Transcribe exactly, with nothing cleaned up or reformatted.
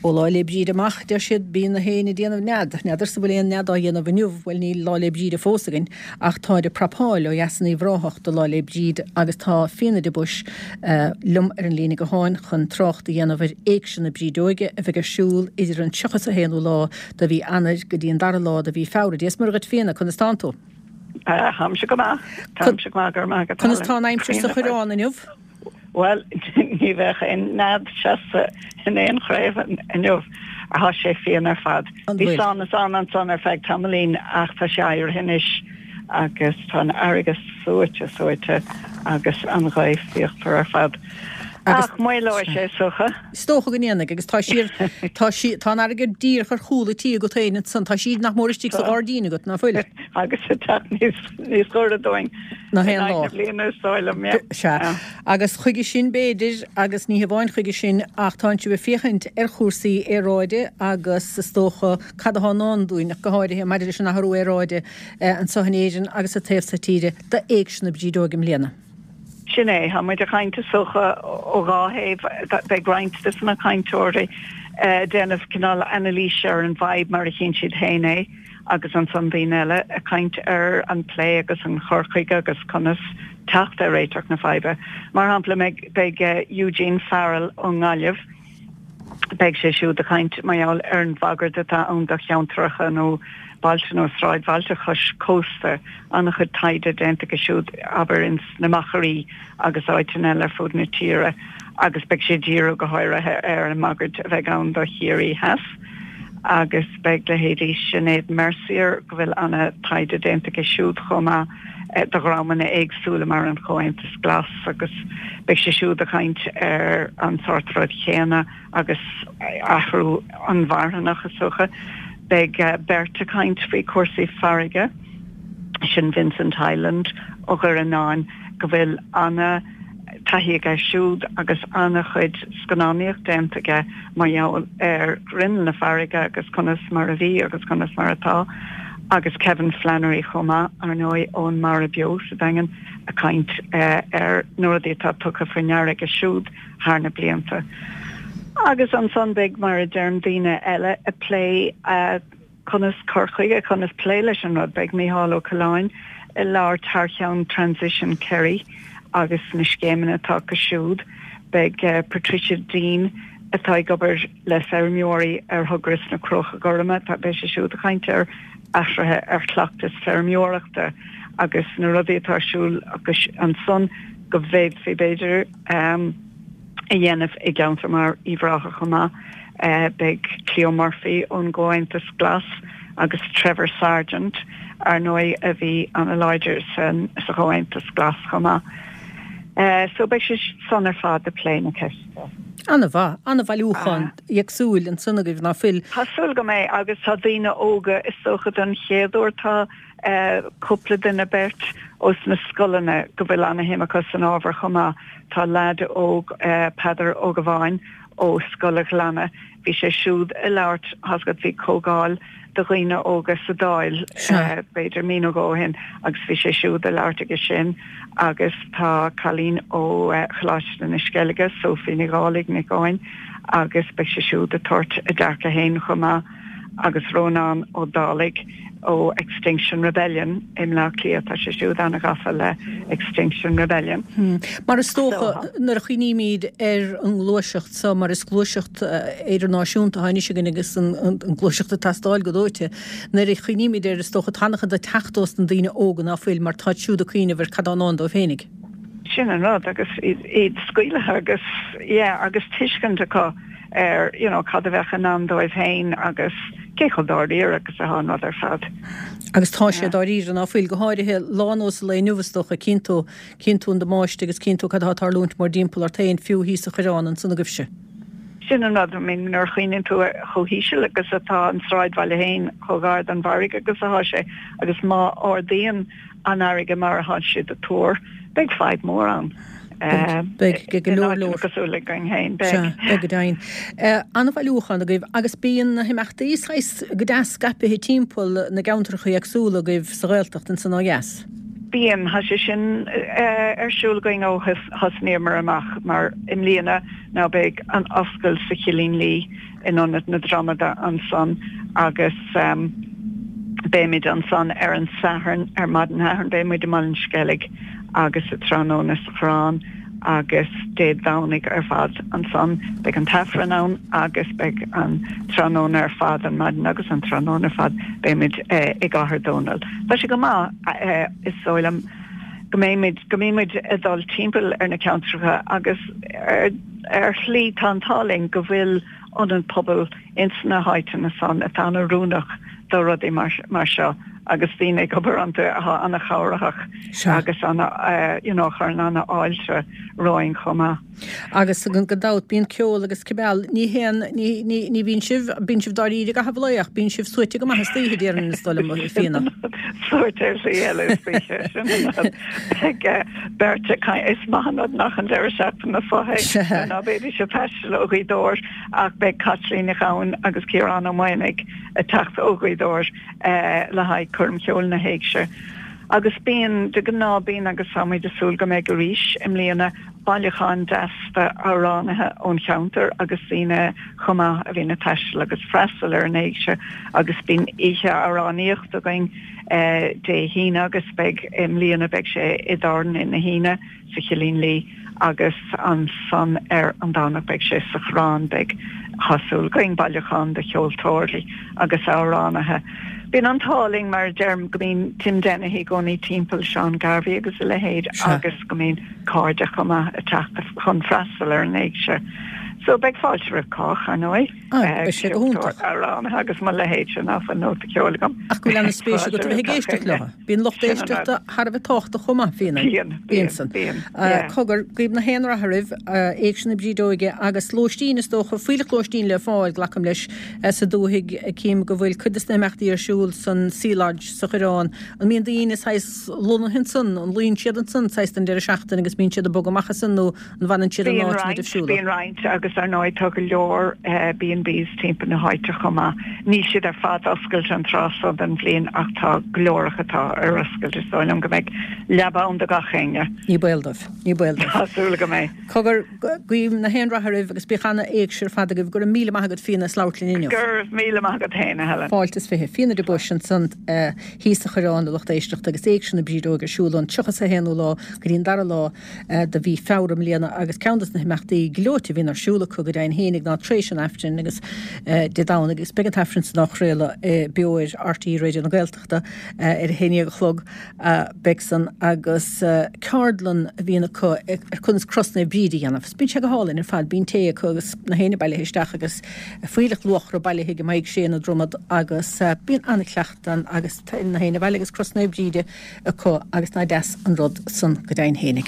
Ó Lá 'le Bríde amach, deir siad, bíonn na héin ag déanamh nead. N'fheadarsa bhfuil aon nead á dhéanamh inniu, bhuel níl Lá 'le Bríde fós againn, ach táid ag prapáil ó dheas in Uíbh Ráthach do Lá 'le Bríde agus tá Fíona de Buis liom ar an líne gutháin chun trácht a dhéanamh ar Éigse na Brídeoige a bheidh ar siúl idir an tríocha is a haonú lá de mhí Eanáir go dtí an dara lá de mhí Feabhra. Dia is Muire dhuit Fíona, conas tánn tú? Táimse go maith. Táimse go maith, go raibh maith agat. Conas tá an aimsir sa Choireán inniu? Bhuel, ní bheadh aon nead seasta in aon chraobh inniu. Tá sé fiáin ar fad. Bhí sonas ann ansan ar feadh tamaillín ach tá sé éirithe anois agus tá an fharraige suaite suaite agus an ghaoth fíochmhar ar fad. Ach maolóidh sé is dócha. Is dócha go ndéanfaidh agus tá sí ar, tá sí, tá an fharraige díreach ar chúl an tí agat féin ansan, tá sí nach mór istigh sa ghairdín agat, ná fuil? Agus ag teacht níos, níos gaire dúinn. Ná haon lá. In aghaidh na bliana is dóigh liom, yeah. Sea. Agus chuige sin b'fhéidir, agus ní hamháin chuige sin, ach tánn sibh ag féachaint ar chúrsaí aeráide agus is dócha cad atá i ndán dúinn, ach go háirithe maidir leis an athrú aeráide anso in Éirinn agus sa taobh so tíre, d'Éigse na Brídeoige i mbliana. Sin é. Tá muid ag caint is dócha ó dhá thaobh. Beidh roinnt de na cainteoirí ag déanamh cineál anailíse ar an bhfadhb mar a chíonn siad féin é agus ansan daoine eile ag caint ar an plé agus an chur chuige agus conas teacht ar réiteach na faidhbe. Mar shampla, beidh Eugene Farrell ón nGaillimh, Beidh sé siúd ag caint mar gheall ar an bhagairt atá ann do cheantracha nó bailte nó sráidbhailte cois cósta. An-chuid taighde déanta aige siúd, abair, ins na machairí agus áiteanna eile ar fud na tíre agus beidh sé ag díriú go háirithe ar an mbagairt a bheidh ann do Chiarraí Theas. Agus beidh leithéidí Sinéad Mercier, go bhfuil an-taighde déanta aici siúd chomh maith, do dhreamanna éagsúla mar an Chomhaontas Glas agus beidh sí siúd ag caint ar an sórt rud chéanna agus athrú inmharthanach is dócha. Beidh beirt ag caint faoi cúrsaí farraige, sin Vincent Hyland ó Dhoire Fhíonáin go bhfuil ana taithí aige siúd agus an-chuid scannánaíocht déanta aige mar gheall ar ghrinneall na farraige agus conas mar a bhí agus conas mar atá agus Kevin Flannery chomh maith, ar ndóigh, ón Mara Beo sa Daingean ag caint ar na rudaí atá tugtha faoi ndeara aige siúd thar na blianta. Agus ansan beidh, mar a deirim, daoine eile ag plé conas cur chuige, conas plé leis an rud. Beidh Mícheál Ó Coileáin ag labhairt thar cheann Transition Kerry agus na scéimeanna atá acu siúd. Beidh Patricia Deane atá ag obair le feirmeoirí ar thogra sna Crócha Gorma, beidh sí siúd ag caint ar athruithe ar chleachtais feirmeoireachta agus na rudaí atá ar siúl acu ansan go bhféadfaí b'fhéidir a dhéanamh i gceantar mar Uíbh Ráthach chomh maith. Beidh Cleo Murphy ón gComhaontas Glas agus Trevor Sargent, ar ndóigh, a bhí an-láidir sa Chomhaontas Glas chomh maith. So beidh siad san ar fad ag plé na ceiste. An-mhaith, an-bhailiúchán éagsúil ansan agaibh, ná fuil? Tá súil go mbeidh agus tá daoine óga, is dócha don chéad uair tá cúpla duine, beirt ós na scoileanna go bhfuil ana-shuim acu san ábhar chomh maith. Tá leaid óg, Peadar Ó Gabháin, ó Scoil a' Ghleanna. Bhí sé siúd ag labhairt, tá's agat, bhí comhdháil do dhaoine óga sa Dáil b'fhéidir mí nó dhó ó shin agus bhí sé siúd ag labhairt aige sin agus tá cailín ó Choláiste na Sceilge, Sophie Ní Dhálaigh, Nic Eoin, agus beidh sí siúd ag tabhairt a dearcadh féin chomh maith agus Rónán Ó Dálaigh ó Extinction Rebellion i mBleá Cliath, tá sé siúd an-ghafa le Extinction Rebellion. Mar is dócha, nuair a chuimhnímid ar an ngluaiseacht seo, mar is gluaiseacht idirnáisiúnta atá anois againn agus an gluaiseacht ag teastáil go dóite, nuair a chuimhnímid air, is dócha, tá an-chuid ag teacht ós na daoine óga ná fuil, mar táid siúd ag cuimhneamh ar cad atá i ndán dóibh féinig. Sin an rud, agus iad scaoilthe agus, yeah, agus tuiscint acu ar, you know, cad a bheadh i ndán dóibh féin agus cé chomh dáiríre agus atá an rud ar fad. Agus tá sé dáiríre, ná fuil, go háirithe lá ar nós an lae inniu, is dócha, cíonn tú, cíonn tú an damáiste agus cíonn tú cad atá ag tarlúint mórdtimpeall ort féin, fiú thíos sa Choireán ansan agaibhse. Sin an rud, I mean, nuair a chuimhníonn tú ar chomh híseal agus atá an sráidbhaile féin, chomh gar don bhfarraige agus atá sé, agus má ardaíonn an fharraige mar atá siad ag tuar, beidh fadhb mhór ann. Beidh, go leor leor. Cosúil le againn féin, beidh. Sea, beidh go deimhin. An-bhailiúchán agaibh agus bíonn na himeachtaí saghas go deas scaipithe timpeall na gceantracha éagsúla agaibh sa Ghaeltacht ansan ó dheas. Bíonn, tá sé sin ar siúl againn ó thosnaíomar amach mar i mbliana ná beidh an oscailt sa Chillín Liath in Ionad na Dromada ansan agus beimid ansan ar an Satharn, ar maidin Shathairn beidh muid i mBaile an Sceilg agus sa tráthnóna sa Choireán. agus Dé Domhnaigh ar fad ansan beidh an tAifreann ann agus beidh an tráthnóna ar fad, an maidin agus an tráthnóna ar fad, beimid i gCathair Dónall. Tá sé go maith, is dóigh liom, go mbeimid, go mbímid ag dul timpeall ar na ceantracha agus ar ar shlí tá an t-ádh linn go bhfuil ionad pobail ins na háiteanna san atá an-oiriúnach do rudaí mar seo agus daoine ag obair iontu atá an-chabhraitheach agus ana you know chuireann an-fháilte romhainn chomh maith. Agus gan dabht bíonn ceol agus cibé, ní haon, ní, ní, ní bhíonn sibh, bíonn sibh dáiríre i gcaitheamh an lae ach bíonn sibh suaite go maith istoíche déarfainn is dóigh liom, a Fíona. Suaite ar shlí eile istoíche, sin an rud. Beidh beirt ag caint, is maith an rud nach an deireadh seachtaine seo é, ná beidís ag taisteal ó Ghaoth Dobhair ach beidh Caitlín Ní Ghabhann agus Ciarán Ó Maonaigh ag teacht ó Ghaoth Dobhair le haghaidh Coirm Cheoil na hÉigse. Agus bíonn, de ghnáth bíonn agus táimid ag súil go mbeidh arís i mbliana, bailiúchán deas d'amhránaithe ón cheantar agus daoine chomh maith a bhíonn ag taisteal agus freastal ar an Éigse agus bíonn oíche amhránaíochta againn Dé hAoine agus beidh i mbliana beidh sé i dTábhairne na hAoine sa Chillín Liath agus ansan ar an Domhnach beidh sé sa Choireán. Beidh, tá súil againn, bailiúchán de cheoltóirí agus amhránaithe. Bíonn an t-ádh linn, mar a deirim, go mbíonn Tim Dennehy i gcónaí timpeall, Seán Garvey agus a leithéid agus go mbíonn cairde chomh maith ag teacht chun freastal ar an Éigse. So beidh fáilte roimh chách, ar ndóigh. Beidh sé go hiontach. Amhránaithe agus mo leithéidse ná fuil nóta ceoil agam. Ach go bhfuil ana-spéis agat a bheith ag éisteacht leo. Bíonn lucht éisteachta thar a bheith tábhachtach chomh maith, Fíona. Bíonn, bíonn, san. Bíonn, yeah. Cogar, guím na haon rath oraibh, Éigse na Brídeoige agus lóistín is dócha, fuílleach lóistín le fáil, glacaim leis, sa dúthaigh. Cím go bhfuil cuid de na himeachtaí ar siúl san Sea Lodge sa Choireán. An mbíonn daoine saghas lonnaithe ansan, an luíonn siad ansan saghas don deireadh seachtaine agus bíonn siad ag bogadh amach as san nó an bhfanann siad in Bíonn áit na roinnt, dtaibhsiúla? bíonn roinnt agus ar ndóigh tá go leor B and Bs timpeall na háite chomh maith. Níl siad ar fad oscailte an tráth so den bhliain ach tá go leor acu atá ar oscailt. Is dóigh liom go mbeidh leaba ann do gach éinne. Ní baol dóibh. Ní baol dóibh. Tá súil agam é. Cogar, guím na haon rath oraibh agus bíodh ana-éigse ar fad agaibh. Go raibh míle maith agat Fíona as labhairt linn inniu. Go raibh míle maith agat féin, a Helen. Fáilte is fiche. Fíona de Buis ansan thíos sa Choireán, a lucht éisteachta, agus Éigse na Brídeoige ar siúl ón tríocha is a haonú lá go dtí an dara lá de mhí Feabhra i mbliana agus ceann de na himeachtaí gleoite a bhíonn ar siúl acu go deimhin fhéinig ná tar éis an Aifrinn agus Dé Domhnaigh agus beidh an tAifreann san á chraoladh beo ar RTÉ Raidió na Gaeltachta ar a haon déag a chlog beidh san agus ceardlann a bhíonn acu ar conas Cros Naomh Bríd a dhéanamh. Bíonn sé go hálainn ar fad, bíonn tae acu agus na héinne bailithe isteach agus fuílleach luachra bailithe ag an mbeidh sé ina Dromad agus bíonn an-chleachtadh ann agus na héinne bailithe agus Cros Naomh Bríde acu agus nach deas an rud san go deimhin fhéinig.